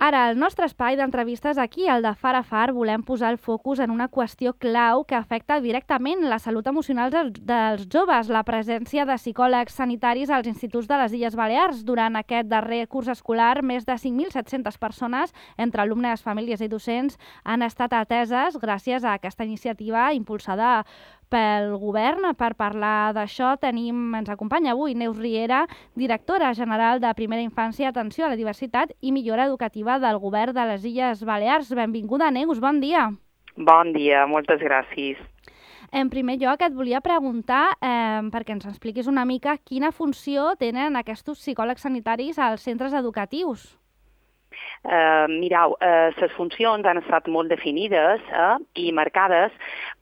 Ara, al nostre espai d'entrevistes aquí, el de Far a Far, volem posar el focus en una qüestió clau que afecta directament la salut emocional dels joves, la presència de psicòlegs sanitaris als instituts de les Illes Balears. Durant aquest darrer curs escolar, més de 5.700 persones, entre alumnes, famílies i docents, han estat ateses gràcies a aquesta iniciativa impulsada pel govern. Per parlar d'això ens acompanya avui Neus Riera, directora general de Primera Infància, Atenció a la Diversitat i Millora Educativa del Govern de les Illes Balears. Benvinguda, Neus, bon dia. Bon dia, moltes gràcies. En primer lloc, et volia preguntar, perquè ens expliquis una mica quina funció tenen aquests psicòlegs sanitaris als centres educatius. Mireu, les funcions han estat molt definides i marcades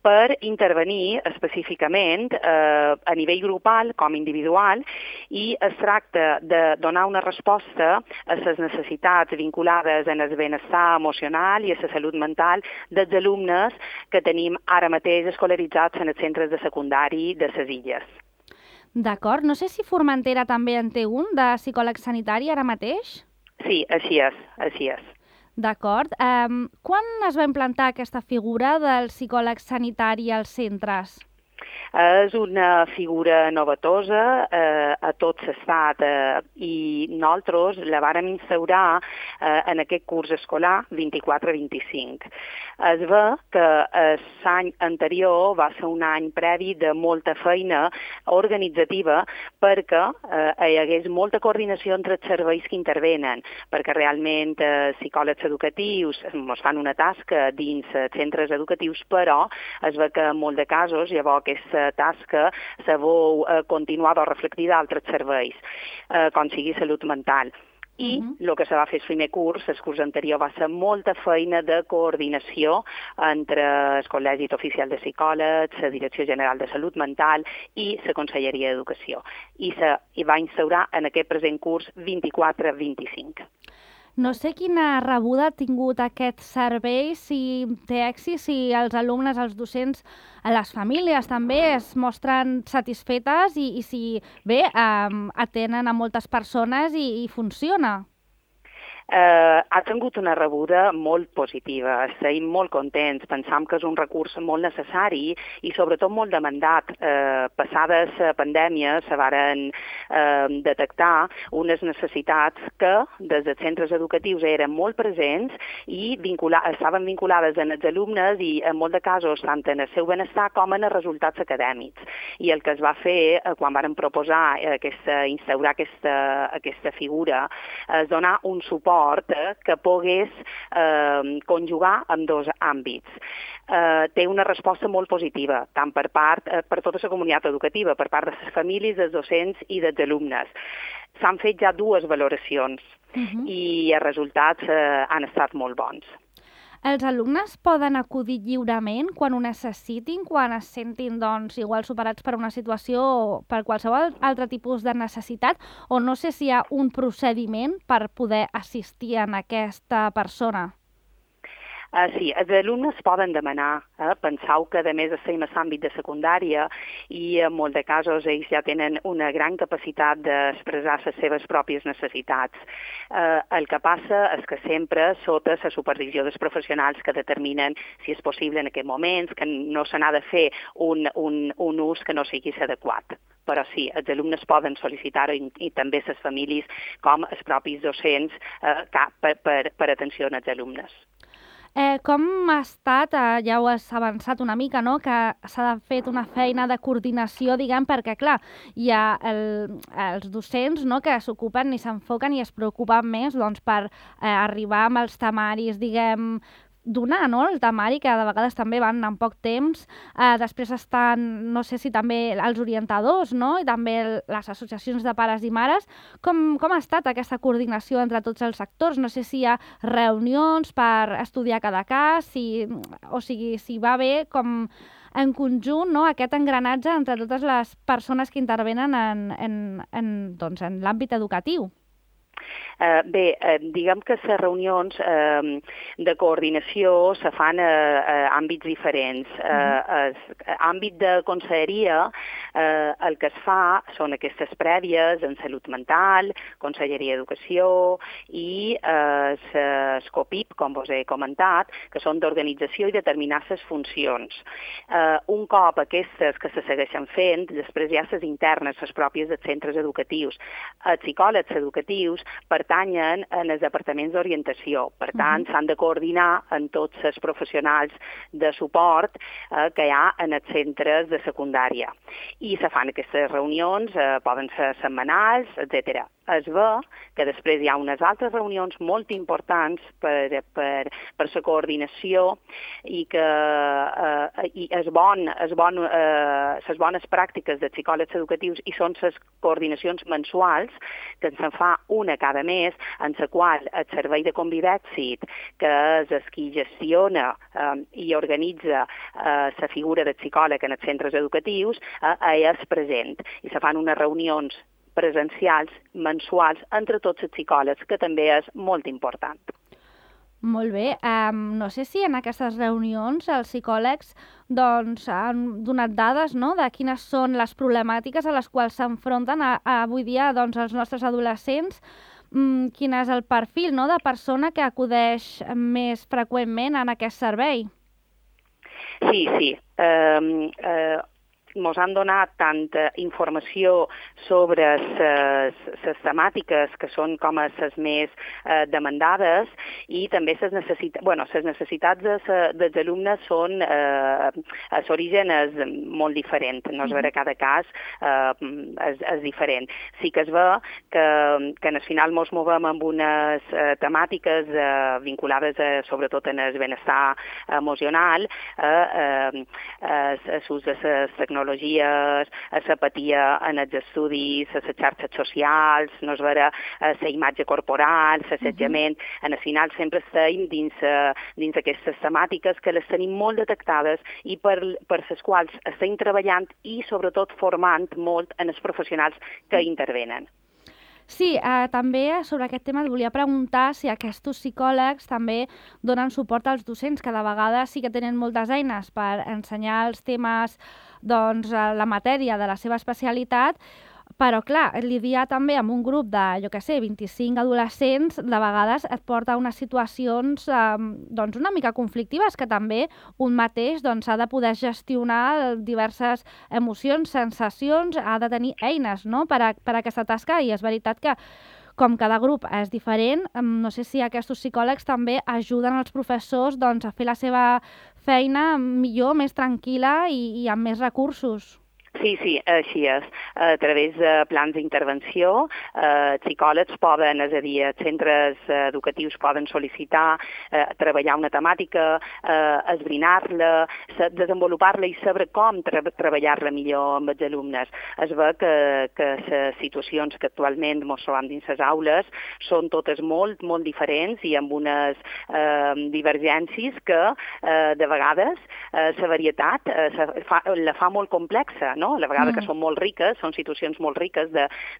per intervenir específicament a nivell grupal com individual, i es tracta de donar una resposta a les necessitats vinculades en el benestar emocional i a la salut mental dels alumnes que tenim ara mateix escolaritzats en els centres de secundari de les illes. D'acord. No sé si Formentera també en té un de psicòleg sanitari ara mateix? Sí, així és. D'acord. Quan es va implantar aquesta figura del psicòleg sanitari als centres? És una figura novetosa a tot l'estat i nosaltres la vàrem instaurar en aquest curs escolar 24-25. Es ve que l'any anterior va ser un any previ de molta feina organitzativa perquè hi hagués molta coordinació entre els serveis que intervenen, perquè realment psicòlegs educatius ens fan una tasca dins centres educatius, però es ve que en molts de casos llavors aquesta tasca se vol continuar o reflectir d'altres serveis, com sigui salut mental. I el que se va fer el primer curs, el curs anterior, va ser molta feina de coordinació entre el Col·legi Oficial de Psicòlegs, la Direcció General de Salut Mental i la Conselleria d'Educació. I se va instaurar en aquest present curs 24-25. No sé quina rebuda ha tingut aquest servei, si té èxit, si els alumnes, els docents, les famílies també es mostren satisfetes i si bé atenen a moltes persones i funciona. Ha tingut una rebuda molt positiva, estem molt contents, pensam que és un recurs molt necessari i sobretot molt demandat. Passades la pandèmia se varen detectar unes necessitats que des dels centres educatius eren molt presents i estaven vinculades en els alumnes i en molts de casos tant en el seu benestar com en els resultats acadèmics. I el que es va fer quan varen proposar instaurar aquesta figura és donar un suport que pogués conjugar en dos àmbits. Té una resposta molt positiva, tant per tota la comunitat educativa, per part de les famílies, dels docents i dels alumnes. S'han fet ja dues valoracions i els resultats han estat molt bons. Els alumnes poden acudir lliurement quan ho necessitin, quan es sentin igual superats per una situació o per qualsevol altre tipus de necessitat, o no sé si hi ha un procediment per poder assistir a aquesta persona? Sí, els alumnes poden demanar. Penseu que a més estem a l'àmbit de secundària i en molts de casos ells ja tenen una gran capacitat d'expressar les seves pròpies necessitats. El que passa és que sempre sota la supervisió dels professionals que determinen si és possible en aquest moment, que no se n'ha de fer un ús que no sigui adequat. Però sí, els alumnes poden sol·licitar-ho i també les famílies com els propis docents per atenció als alumnes. Com ha estat, ja ho has avançat una mica, no? Que s'ha fet una feina de coordinació, diguem, perquè, clar, hi ha els docents, no?, que s'ocupen i s'enfoquen i es preocupen més per arribar amb els temaris, diguem, donar, no?, el temari, que de vegades també van en poc temps. Després estan, no sé si també els orientadors, no?, i també les associacions de pares i mares. Com ha estat aquesta coordinació entre tots els sectors? No sé si hi ha reunions per estudiar cada cas, si va bé com en conjunt, no?, aquest engranatge entre totes les persones que intervenen en l'àmbit educatiu. Diguem que les reunions de coordinació se fan a àmbits diferents. Àmbit de conselleria, el que es fa són aquestes prèvies en salut mental, Conselleria d'Educació i SCOPIP, com vos he comentat, que són d'organització i determinar les funcions. Un cop aquestes que se segueixen fent, després hi ha les internes, les pròpies dels centres educatius. Els psicòlegs educatius pertanyen en els departaments d'orientació. Per tant, s'han de coordinar amb tots els professionals de suport que hi ha en els centres de secundària. I se fan aquestes reunions, poden ser setmanals, etc. Es ve que després hi ha unes altres reunions molt importants per la coordinació i que les bones pràctiques de psicòlegs educatius i són les coordinacions mensuals, que se'n fa una cada mes, en la qual el servei de Convivèxit, que és el qui gestiona i organitza la figura del psicòleg en els centres educatius, és present. I se fan unes reunions presencials, mensuals, entre tots els psicòlegs, que també és molt important. Molt bé. No sé si en aquestes reunions els psicòlegs han donat dades, no?, de quines són les problemàtiques a les quals s'enfronten avui dia els nostres adolescents. Quin és el perfil, no?, de persona que acudeix més freqüentment en aquest servei? Sí. Ens han donat tanta informació sobre les temàtiques que són com les més demandades i també les necessitats dels alumnes són l'origen és molt diferent, no es veure cada cas és diferent. Sí que es ve que al final ens movem amb unes temàtiques vinculades sobretot en el benestar emocional, l'ús de les tecnologies, l'apatia en els estudis, les xarxes socials, no es veure la imatge corporal, l'assetjament. Al final sempre estem dins aquestes temàtiques que les tenim molt detectades i per les quals estem treballant i sobretot formant molt en els professionals que intervenen. Sí, també sobre aquest tema et volia preguntar si aquests psicòlegs també donen suport als docents, que de vegades sí que tenen moltes eines per ensenyar els temes, la matèria de la seva especialitat, però clar, lidiar també amb un grup de, 25 adolescents, de vegades et porta a unes situacions una mica conflictives, que també un mateix ha de poder gestionar diverses emocions, sensacions, ha de tenir eines, no?, per a aquesta tasca, i és veritat que com cada grup és diferent, no sé si aquests psicòlegs també ajuden els professors a fer la seva feina millor, més tranquil·la i amb més recursos. Sí, així és. A través de plans d'intervenció, psicòlegs poden, és a dir, centres educatius poden sol·licitar treballar una temàtica, esbrinar-la, desenvolupar-la i saber com treballar-la millor amb els alumnes. Es ve que les situacions que actualment ens trobem dins les aules són totes molt, molt diferents i amb unes divergències que de vegades la varietat la fa molt complexa, no? A la vegada que són molt riques, són situacions molt riques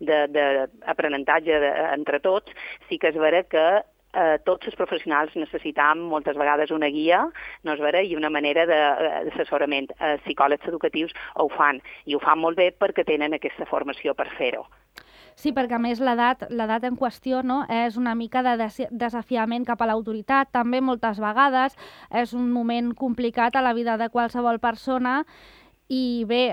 d'aprenentatge entre tots, sí que és vera que tots els professionals necessitam moltes vegades una guia, no és vera, i una manera d'assessorament. Els psicòlegs educatius ho fan, i ho fan molt bé perquè tenen aquesta formació per fer-ho. Sí, perquè a més l'edat en qüestió, no, és una mica de desafiament cap a l'autoritat, també moltes vegades és un moment complicat a la vida de qualsevol persona. I bé,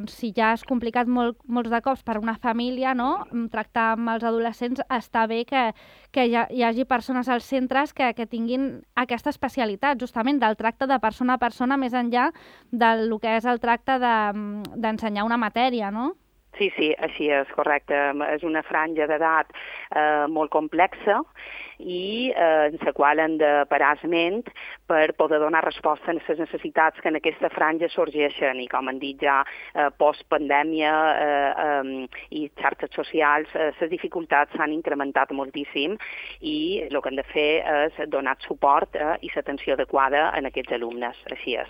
si ja és complicat molts de cops per una família, no?, tractar amb els adolescents, està bé que hi hagi persones als centres que tinguin aquesta especialitat, justament del tracte de persona a persona, més enllà del que és el tracte d'ensenyar una matèria, no? Sí, així és, correcte. És una franja d'edat molt complexa i en la qual hem de parar ment per poder donar resposta a les necessitats que en aquesta franja sorgeixen. I com han dit ja, post-pandèmia i xarxes socials, les dificultats s'han incrementat moltíssim i el que hem de fer és donar suport i l'atenció adequada a aquests alumnes. Així és.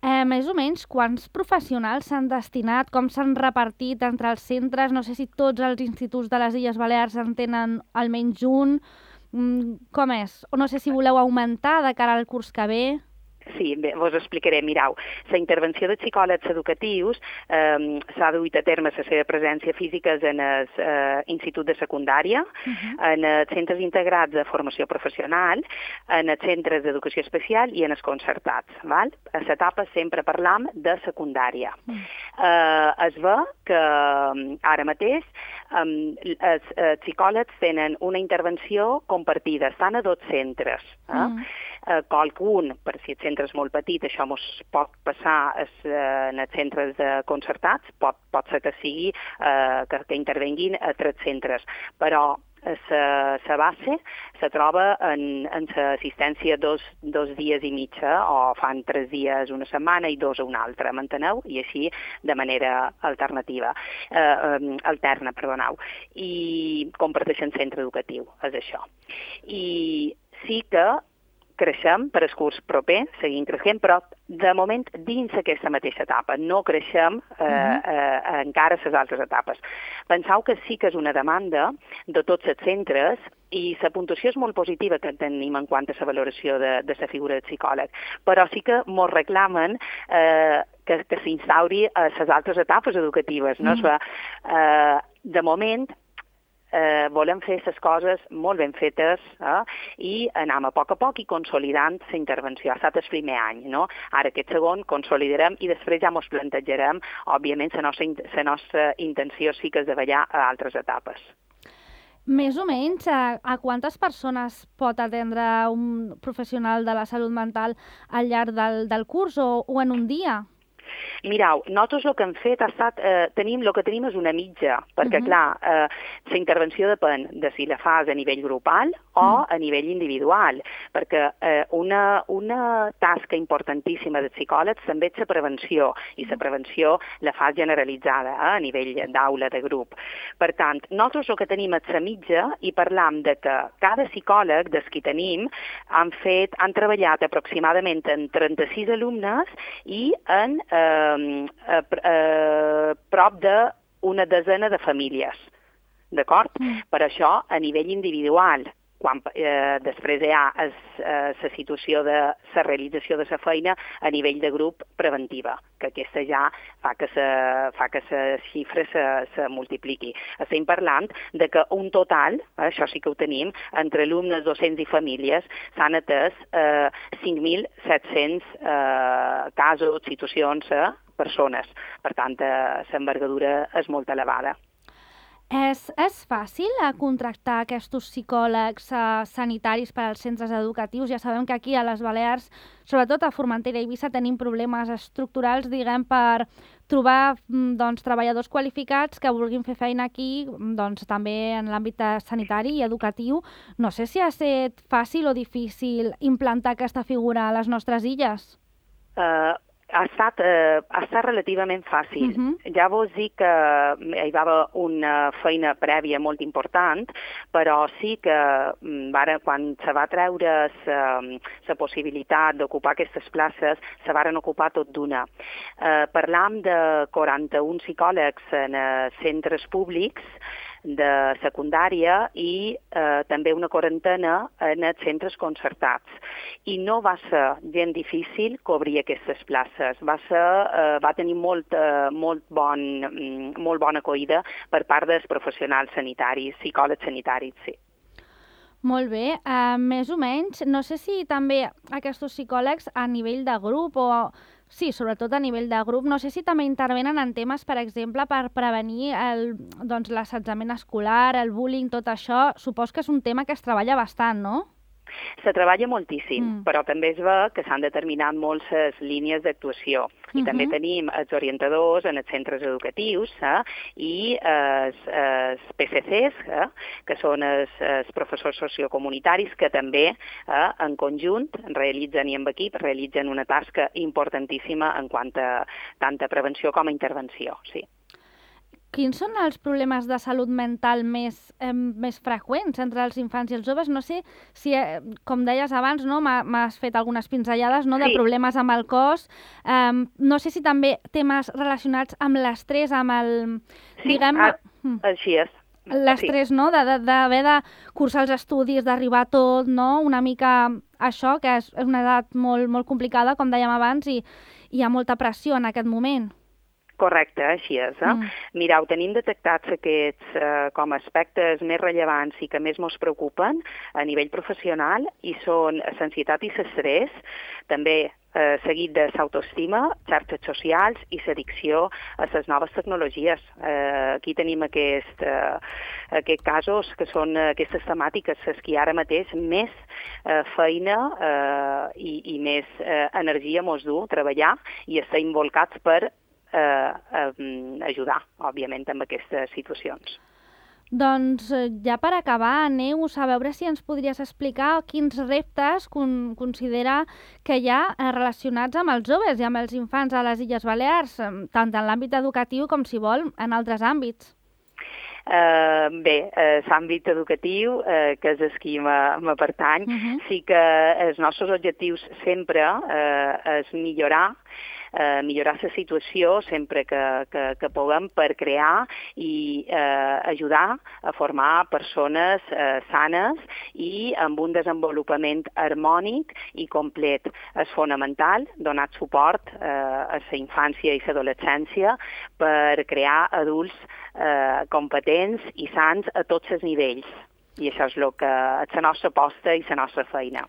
Més o menys, quants professionals s'han destinat, com s'han repartit entre els centres? No sé si tots els instituts de les Illes Balears en tenen almenys un. Com és? O no sé si voleu augmentar de cara al curs que ve. Sí, bé, vos explicaré. Mireu, la intervenció de psicòlegs educatius s'ha duit a terme la seva presència física en el institut de secundària, en els centres integrats de formació professional, en els centres d'educació especial i en els concertats. Val? A l'etapa sempre parlam de secundària. Es ve que ara mateix els psicòlegs tenen una intervenció compartida, estan a 2 centres. Qualcun, per si el centre és molt petit, això mos pot passar en els centres concertats, pot ser que sigui que intervenguin a 3 centres, però la base se troba en l'assistència 2 dies i mitja, o fan 3 dies una setmana i 2 una altra, m'enteneu? I així de manera alterna, perdoneu. I comparteixen centre educatiu, és això. I sí que creixem per al curs proper, seguim creixent, però de moment dins aquesta mateixa etapa. No creixem encara les altres etapes. Penseu que sí que és una demanda de tots els centres i la puntuació és molt positiva que tenim en quant a la valoració de la figura del psicòleg, però sí que ens reclamen que s'instauri a les altres etapes educatives. No? De moment, volem fer les coses molt ben fetes i anem a poc i consolidant la intervenció. Ha estat el primer any, no? Ara aquest segon consolidarem i després ja ens plantejarem, òbviament, la nostra intenció sí que és de ballar a altres etapes. Més o menys, a quantes persones pot atendre un professional de la salut mental al llarg del curs o en un dia? Mireu, nosaltres el que hem fet ha estat, el que tenim és una mitja, perquè clar, la intervenció depèn de si la fas a nivell grupal o a nivell individual, perquè una tasca importantíssima dels psicòlegs també és la prevenció, i la prevenció la fas generalitzada a nivell d'aula, de grup. Per tant, nosaltres el que tenim és la mitja i parlam de que cada psicòleg dels que tenim han treballat aproximadament en 36 alumnes i en prop d'una desena de famílies, d'acord? Per això, a nivell individual, quan després hi ha la situació de la realització de la feina a nivell de grup preventiva, que aquesta ja fa que la xifra se multipliqui. Estem parlant de que un total, això sí que ho tenim, entre alumnes, docents i famílies, s'han atès 5.700 casos, situacions, persones. Per tant, l'envergadura és molt elevada. És fàcil contractar aquests psicòlegs sanitaris per als centres educatius? Ja sabem que aquí a les Balears, sobretot a Formentera i Eivissa, tenim problemes estructurals, diguem, per trobar treballadors qualificats que vulguin fer feina aquí, també en l'àmbit sanitari i educatiu. No sé si ha estat fàcil o difícil implantar aquesta figura a les nostres illes. Ha estat relativament fàcil. Ja vos dic que hi va haver una feina prèvia molt important, però sí que quan se va treure la possibilitat d'ocupar aquestes places, se varen ocupar tot d'una. Parlam de 41 psicòlegs en centres públics de secundària i també una quarantena en els centres concertats. I no va ser gens difícil cobrir aquestes places. Va tenir molt bona acollida per part dels professionals sanitaris, psicòlegs sanitaris, sí. Molt bé. Més o menys, no sé si també aquests psicòlegs a nivell de grup o... Sí, sobretot a nivell de grup. No sé si també intervenen en temes, per exemple, per prevenir l'assetjament escolar, el bullying, tot això. Supos que és un tema que es treballa bastant, no? Se treballa moltíssim, però també es ve que s'han determinat moltes línies d'actuació. I també tenim els orientadors en els centres educatius i els PCCs, que són els professors sociocomunitaris, que també en conjunt realitzen i en equip realitzen una tasca importantíssima en quant a tant a prevenció com a intervenció, sí. quins són els problemes de salut mental més freqüents entre els infants i els joves? No sé si, com deies abans, no, m'has fet algunes pinzellades, no, de problemes amb el cos. No sé si també temes relacionats amb l'estrès, amb el... Sí, així és. L'estrès, no?, d'haver de cursar els estudis, d'arribar a tot, no?, una mica això, que és una edat molt, molt complicada, com dèiem abans, i hi ha molta pressió en aquest moment. Correcte, així és. Mireu, tenim detectats aquests com a aspectes més rellevants i que més ens preocupen a nivell professional, i són l'ansietat i l'estrès, també seguit de l'autoestima, xarxes socials i l'addicció a les noves tecnologies. Aquí tenim aquests casos que són aquestes temàtiques, les que ara mateix més feina i més energia ens du treballar i estar involucrats per ajudar, òbviament, amb aquestes situacions. Doncs ja per acabar, Neus, a veure si ens podries explicar quins reptes considera que hi ha relacionats amb els joves i amb els infants a les Illes Balears, tant en l'àmbit educatiu com, si vol, en altres àmbits. Bé, l'àmbit educatiu, que és el que me pertany, sí que els nostres objectius sempre és millorar la situació sempre que puguem per crear i ajudar a formar persones sanes i amb un desenvolupament harmònic i complet. És fonamental donar suport a la infància i l'adolescència per crear adults competents i sants a tots els nivells. I això és la nostra aposta i la nostra feina.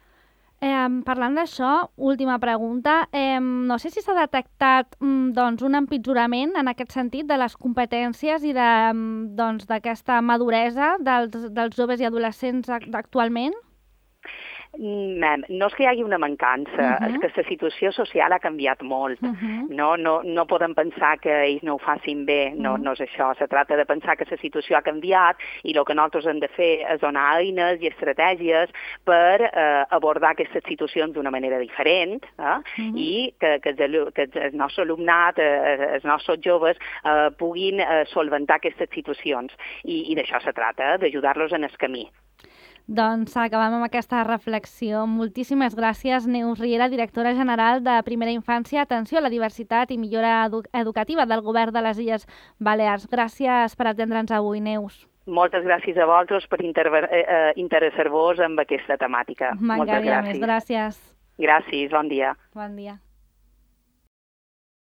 Parlant d'això, última pregunta. No sé si s'ha detectat un empitjorament en aquest sentit de les competències i d'aquesta maduresa dels joves i adolescents actualment? No és que hi hagi una mancança, és que la situació social ha canviat molt. No podem pensar que ells no ho facin bé, no és això. Se tracta de pensar que la situació ha canviat i el que nosaltres hem de fer és donar eines i estratègies per abordar aquestes situacions d'una manera diferent i que el nostre alumnat, els nostres joves, puguin solventar aquestes situacions. I d'això se tracta, d'ajudar-los en el camí. Doncs acabem amb aquesta reflexió. Moltíssimes gràcies, Neus Riera, directora general de Primera Infància, Atenció a la Diversitat i Millora Educativa del Govern de les Illes Balears. Gràcies per atendre'ns avui, Neus. Moltes gràcies a vosaltres per interessar-vos en aquesta temàtica. M'encantaria més. Gràcies. Gràcies, bon dia. Bon dia.